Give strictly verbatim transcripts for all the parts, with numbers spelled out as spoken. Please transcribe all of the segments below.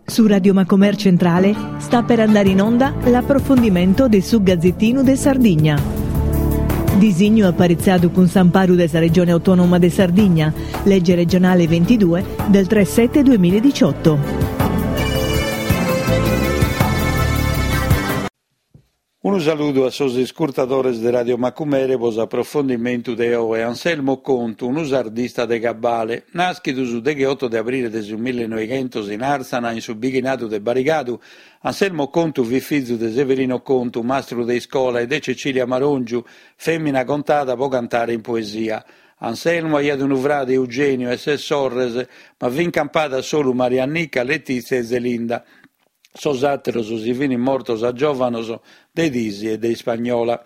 Su Radio Macomer Centrale sta per andare in onda l'approfondimento de su Gazzettinu de Sardigna. Disignu aparitzadu cun s'amparu de sa Regione Autonoma de Sardigna, legge regionale ventidue del tre sette duemiladiciotto. Unu saludu a sos iscurtadores de Radio Macumere pro s'aprofondimentu de oe. Anselmo Contu, unu sardista de cabale, nàschidu su degheoto de abrile de su millenoighentos in Àrtzana, in su bighinadu de Barigadu, Anselmo Contu fit fizu de Severino Contu, mastru de iscola, e de Cecilia Marongiu, fèmina contada pro cantare in poesia. Anselmo aiat unu frade, Eugenio, e ses sorres, ma fin campadas solu Mariannica, Letizia e Zelinda. Sos àteros si fin mortos a giòvanos de tisi e de ispagnola.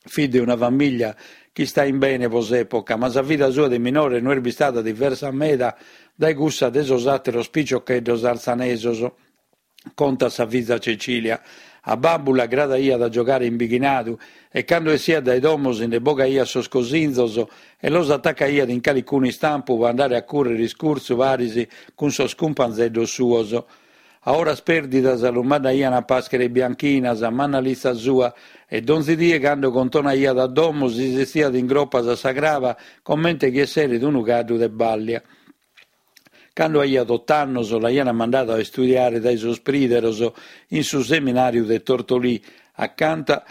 Fit de una famìllia chi istait bene pro s'època, ma sa vida sua de minore no est bistada diversa meda dae cussa de sos àteros piciocheddos artzanesos, contat sa fiza Cecilia. A babbu l'agradaiat a giogare in bighinadu e cando essiat dae domo si nde bogaiat sos cosinzos e los atacaiat in calicunu istampu pro andare a cùrrere iscurtzu paris cun sos cumpanzeddos suos. A oras pèrdidas lu mandaian a pàschere bianchinas, a mannalitza sua, e donzi die cando contonaiat a domo si setziat in gropas a sa craba comente chi esseret unu caddu de bàllia. Cando aiat ot'annos l'aian mandadu a istudiare dae sos prìderos in su seminàriu de Tortolì, acanta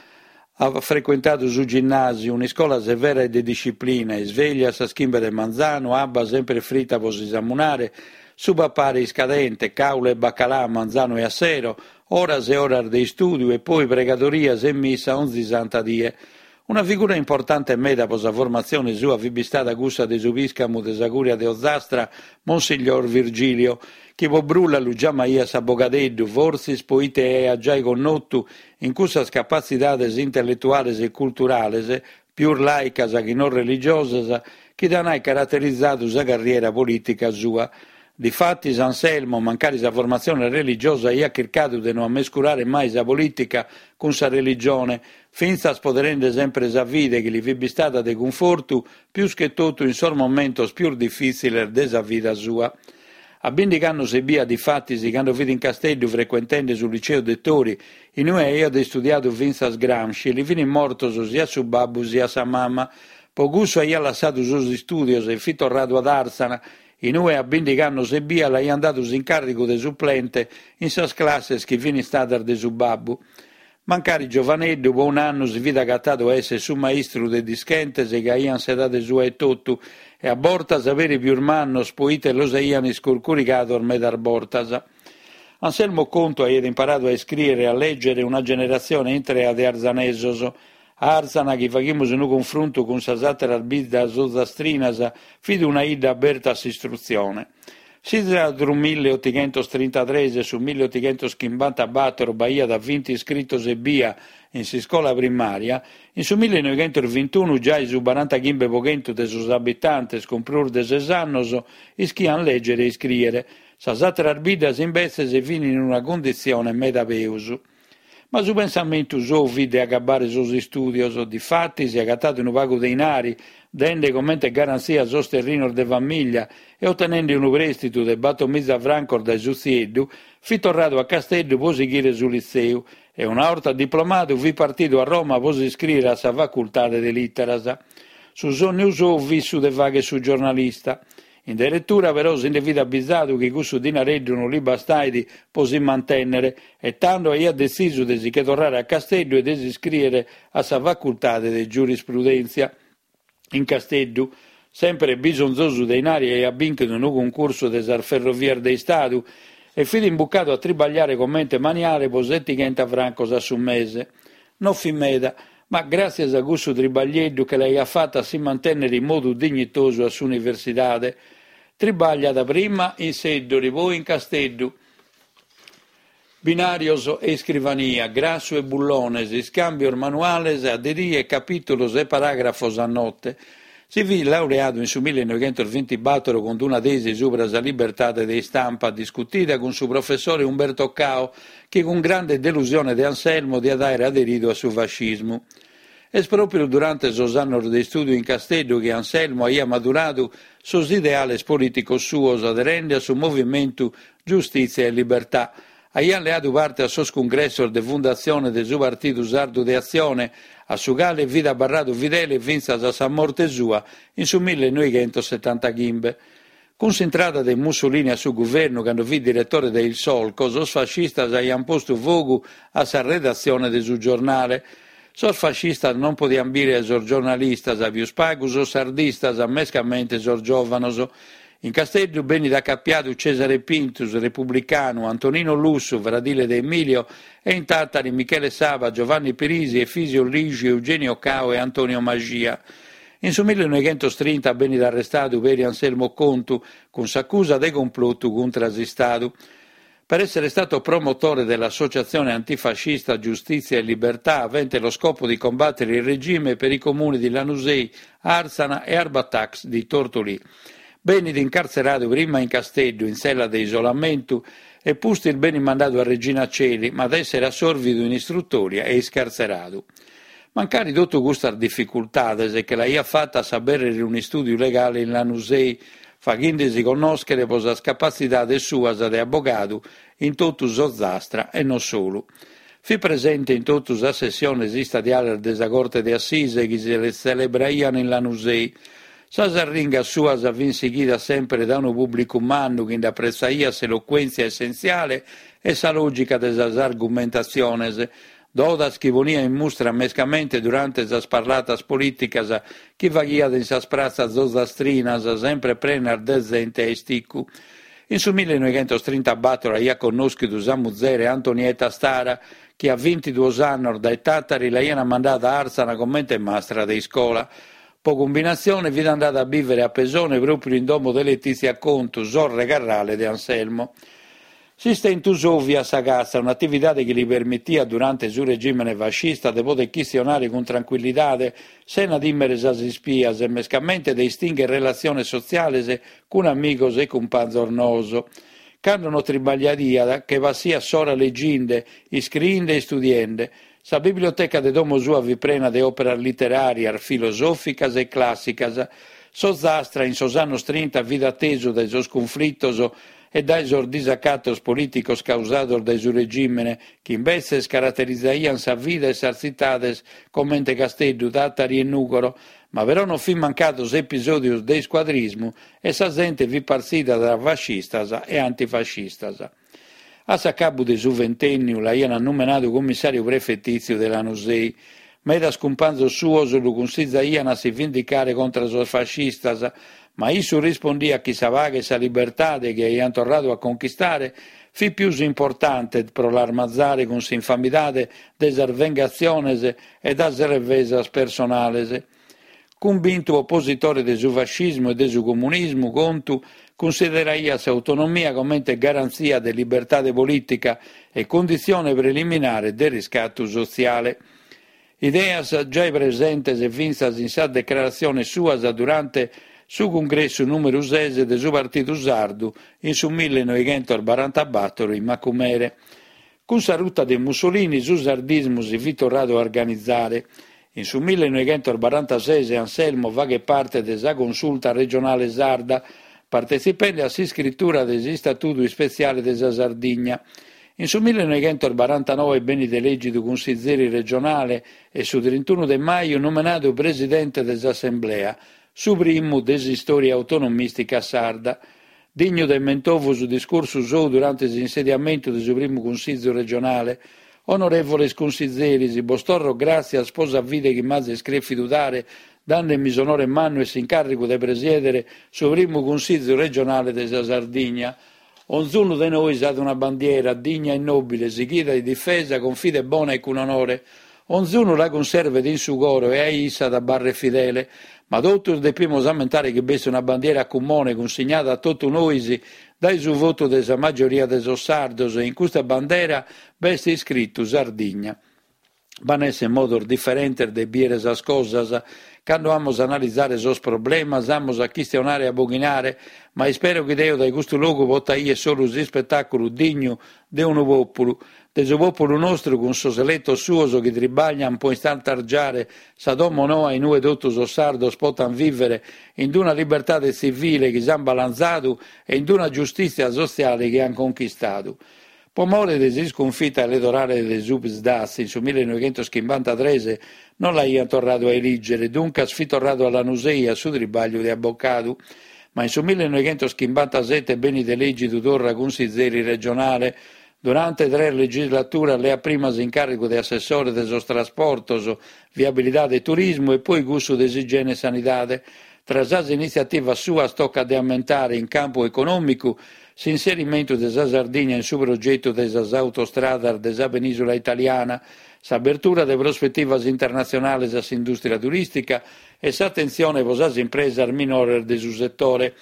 at frecuentadu su ginnàsiu, un'iscola severa e de disciplina, isvèglia a sas chimbe de manzanu, abba semper frita pro si samunare, su papare iscadente, càule e bacalà a manzanu e a sero, oras e oras de istùdiu e poi pregadorias e missa onzi santa die. Una figura importante meda pro sa formatzione sua fit bistada cussa de su pìscamu de sa Cùria de Ozastra, Monsignor Virgilio, chi pro brulla lu giamaiat s'abogadeddu, fortzis poite aiat giai connotu in cussas capatzidades intelletuales e culturales, pius làicas chi non religiosas, chi d'an aer caraterizadu sa carriera polìtica sua. Difatis Anselmo, mancari sa formatzione religiosa, aiat chircadu de no ammescurare mai sa polìtica cun sa religione, fintzas poderende sempre sa fide chi li fit bistada de cunfortu pius che totu in sos momentos pius difìtziles de sa vida sua. A bìndighi annos ebbia, difatis, cando fit in Casteddu frecuentende su liceu Dettori, in ue aiat istudiadu fintzas Gramsci, li fin mortos siat su babbu siat sa mama. Pro cussu aiat lassadu sos istùdios e fit torradu ad Àrtzana, in ue a bìndighi annos ebbia l'aian dadu s'incàrrigu de suplente in sas classes chi fin istadas de su babbu. Mancari giovaneddu, pro un'annu si fit agatadu a èssere su maistru de dischentes chi aian s'edade sua etotu e a bortas peri pius mannos poite los aian iscurcurigados medas bortas. Anselmo Contu aiat imparadu a iscrìere e a lègere una generatzione intrea de artzanesos. Àrtzana, chi faghimus unu cunfruntu cun sas àteras biddas ozastrinas, fit una 'idda aberta a s'istrutzione. Si tra su milleotighentos trintatres e su milleotighentos chimbantabator b'aiat vinti iscritos ebbia in s'iscola primària, in su millenoighentos vintunu giai su barantachimbe pro chentu de sos abitantes cun prus de ses annos ischian lègere e iscrìere. Sas àteras biddas imbetzes fin in una cunditzione meda peus. Ma su pensamentu sou fit de agabbare sos istùdios. Difatis, agatadu unu pagu de inari, dende comente garantzia sos terrinos de famìllia e otenende unu prèstitu de bator miza francos dae su tzieddu, fit torradu a Casteddu pro sighire su litzeu e una 'orta diplomadu fit partidu a Roma pro s'iscrìere a sa facultade de lìteras. Su sònniu sou fit su de fàghere su giornalista. In deretura però si nde fit abizadu chi cussu dinareddu non li bastait pro si mantènnere e tando aiat detzisu de si che torrare a Casteddu e de s'iscrìere a sa facultade de giurisprudèntzia. In Casteddu, sempre bisonzosu de inari, aiat bìnchidu unu cuncursu de sas ferrovias de Istadu e fit imbucadu a tribagliare comente maniale pro setighenta francos a su mese. Non fit meda, ma gràtzias a cussu tribaglieddu che l'aiat fata a si mantènnere in modu dignitosu a s'universidade. Tribagliat prima in Seddori, poi in Casteddu. Binàrios e iscrivania, grassu e bullones, iscàmbios manuales a de die, capìtulos e paràgrafos a note. Si fit laureadu in su millenoighentos bintibator cun una tesi subra sa libertade de istampa, discutida cun su professore Umberto Cao, chi cun grande delusione de Anselmo diat àere aderidu a su fascismu. Est pròpiu durante sos annos de istùdiu in Casteddu chi Anselmo aiat maduradu sos ideales polìticos suos aderende a su movimentu Giustìtzia e Libertà. Aiat leadu parte a sos cungressos de fundatzione de su Partidu Sardu de Atzione, a su cale fit abarradu fidele fintzas a sa morte sua in su millenoighentos setantaghimbe. Cun s'intrada de Mussolini a su guvernu, cando fit diretore de Il Solco, sos fascistas aiant postu fogu a sa redatzione de su giornale. Sos fascistas non podiant bìdere sos giornalistas, pius pagu sos sardistas, mescamente sos giòvanos. In Casteddu benit acapiadu Cesare Pintus, republicanu, Antonino Lussu, fradile de Emilio, e in Tàtari Michele Saba, Giovanni Pirisi, Efisio Lixi, Eugenio Cao e Antonio Maxia. In su millenoighentos trinta benit arrestadu peri Anselmo Contu, cun s'acusa de complotu contra s'Istadu. Per essere stato promotore dell'associazione antifascista Giustizia e Libertà, avente lo scopo di combattere il regime per i comuni di Lanusei, Arzana e Arbatax di Tortolì. Benit incartzeradu prima in Casteddu, in tzella de isolamentu, e pustis benit mandadu a Regina Coeli, ma at essere assorvidu in istrutòria e iscartzeradu. Mancari totu custas dificultades che l'aiat fata a s'abèrrere un'istùdiu legale in Lanusei, faghende-si connòschere pro sas capatzidades suas de abogadu in totu s'Ozastra e non solu. Fit presente in totu sas sessiones istadiales de sa Corte de Assise chi si tzelebraian in Lanusei. Sas arringas suas fin sighidas semper dae unu pùblicu mannu chi nd'apretzaiat s'elocuèntzia essentziale e sa lògica de sas argumentatziones, dodas chi poniat in mustra mescamente durante sas parlatas polìticas chi faghiat in sas pratzas ozastrinas, sempre prenas de zente a isticu. In su millenoighentos trintabator aiat connòschidu sa muzere Antonietta Stara, chi a bintiduos annos dae Tàtari l'aiant mandada a Arzana comente mastra de iscola. Po cumbinatzione fit andada a bìvere a Pesone pròpiu in domo de Letizia Contu, sorre carrale de Anselmo. S'istentu sou fiat sa catza, un'atividade chi li permitiat durante su regìmene fascista de poder chistionare cun trancuillidade, sena tìmere sas ispias e mescamente de istìnghere relatziones sotziales cun amigos e cumpanzos noos. Cando non tribagliaiat, che passiat s'ora leginde, iscriende e istudiende. Sa biblioteca de domo sua fit prena de òperas literàrias, filosòficas e clàssicas. S'Ozastra in sos annos trinta fit a tesu dae sos cunflitos e dae sos disacatos polìticos causados dae su regìmene, chi imbetzes caraterizaiant sa vida e sas tzitades comente Casteddu, Tàtari e Nùgoro, ma però non fint mancados episòdios de iscuadrismu e sa zente fit partzida tra fascistas e antifascistas. A s'acabu de su ventènniu l'aiant numenadu cummissàriu prefetìtziu de Lanusei. Medas cumpanzos suos lu cunsizaiant a si vindicare contra sos fascistas, ma issu rispondiat chi sa paghe e sa libertade chi aiant torradu a conchistare fit pius importante pro l'armazare cun s'infamidade de sas vengatziones e das revesas personales. Cumbintu opositore de su fascismu e de su comunismu, Contu cunsideraiat s'autonomia comente garantzia de libertade polìtica e cunditzione preliminare de riscatu sotziale. Ideas giai presentes fintzas in sas decraratziones suas durante su cungressu nùmeru ses de su Partidu Sardu in su millenoighentos barantabator in Macumere. Cun sa ruta de Mussolini su sardismu si fit torradu a organizare. In su millenoighentos barantases Anselmo faghet parte de sa Consulta Regionale Sarda, partetzipende a s'iscritura de s'Istatudu Ispetziale de sa Sardigna. In su millenoighentos barantanoe benit elègidu cunsizeri regionale e su trintunu de maju numenadu presidente de s'Assemblea, su primu de s'istòria autonomìstica sarda. Dignu de mentovu su discursu sou durante s'insediamentu de su primu Cunsìgiu regionale. Onorèvoles cunsizeris, bos torro gràtzias pro sa fide chi m'azis crèfidu dare, dande-mi s'onore mannu e s'incàrrigu de presièdere su primu Cunsìgiu regionale de sa Sardigna. Onzunu de nois at una bandiera, digna e nòbile, sighida e difesa cun fide bona e cun onore. Onzunu la cunservet in su coro e a issa at abarret fidele. Ma totus depimus ammentare chi b'est una bandiera a cumone cunsignada a totu nois dae su votu de sa majoria de sos sardos e in custa bandera b'est iscritu Sardigna. B'an esser modos diferentes de bìere sas cosas. Cando amus a analizare sos problemas amus a chistionare e aboghinare, ma ispero chi deo dae custu logu pota 'ier solu s'ispetàculu dignu de unu pòpulu, de su pòpulu nostru cun sos eletos suos chi tribaglian pro istantargiare sa domo noa in ue totu sos sardos potan vìvere in una libertade tzivile chi s'an balanzadu e in una giustìtzia sotziale chi an conchistadu. Pro more de s'iscunfita eletorale de su Psd'Az in su millenovighentos chimbantatrès non l'aiant torradu a elìgere, duncas fit torradu a Lanusei a su tribagliu de abocadu. Ma in su millenovighentos chimbantasete benit elègidu torra cunsizeri regionale. Durante tres legislaturas leat prima s'incàrrigu de assessore de sos trasportos, viabilidade e turismu e poi cussu de s'igiene e sanidade. Tra sas initziativas suas tocat de ammentare in campu econòmicu s'inserimentu de sa Sardigna in su progetu de sas autostradas de sa penìsula italiana, s'abertura de prospetivas internatzionales a s'indùstria turìstica e s'atentzione pro sas impresas minores de su setore.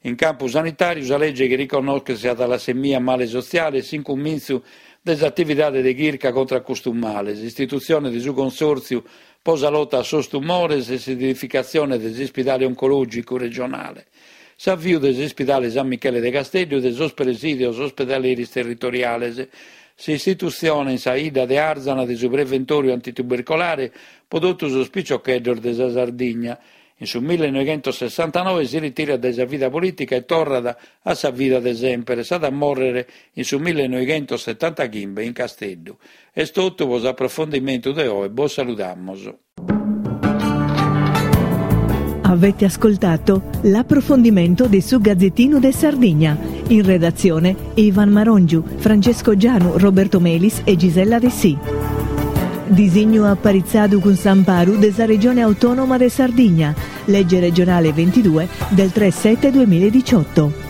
In campu sanitàriu sa lege chi riconnoschet sa talassemia male sotziale e s'incumintzu de s'atividade de chirca contra custu male, s'istitutzione de su Consòrtziu pro sa lota a sos tumores e s'edificatzione de s'ispidale oncològicu regionale. S'aviu de s'ispidale San Michele de Casteddu e de sos presìdios ospedaleris territoriales. S'istitutzione in sa 'idda de Arzana de su preventòriu antitubercolare pro totu sos piciocheddos de sa Sardigna. In su millenovighentos sessantanoe si ritirat dae sa vida polìtica e torrat a sa vida de semper. S'at a mòrrere in su millenovighentos setantachimbe in Casteddu. Est totu pro s'aprofondimentu de oe. Bos saludamus. Avete ascoltato l'approfondimento di su Gazzettino de Sardigna. In redazione Ivan Marongiu, Francesco Gianu, Roberto Melis e Gisella Dessì. Disignu aparitzadu cun s'amparu de sa Regione Autonoma de Sardigna. Legge regionale ventidue del tre sette duemiladiciotto.